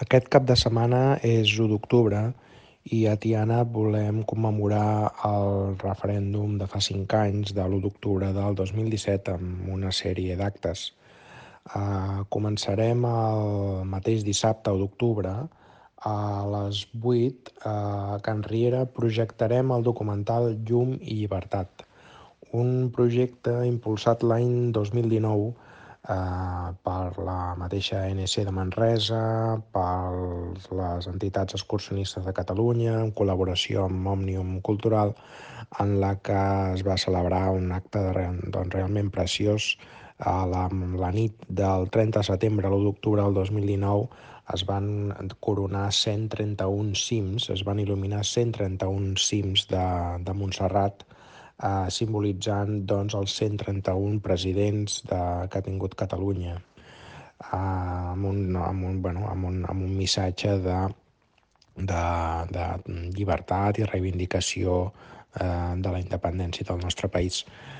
Aquest cap de setmana és 1 d'octubre i a Tiana volem commemorar el referèndum de fa 5 anys, de l'1 d'octubre del 2017, amb una sèrie d'actes. Començarem el mateix dissabte, 1 d'octubre, a les 8, a Can Riera projectarem el documental Llum i llibertat, un projecte impulsat l'any 2019 per la mateixa ANC de Manresa, per les entitats excursionistes de Catalunya, en col·laboració amb Òmnium Cultural, en la que es va celebrar un acte realment preciós. La nit del 30 de setembre a l'1 d'octubre del 2019 es van coronar 131 cims, es van il·luminar 131 cims de Montserrat, simbolitzant els 131 presidents que ha tingut Catalunya, amb un missatge de llibertat i reivindicació de la independència del nostre país.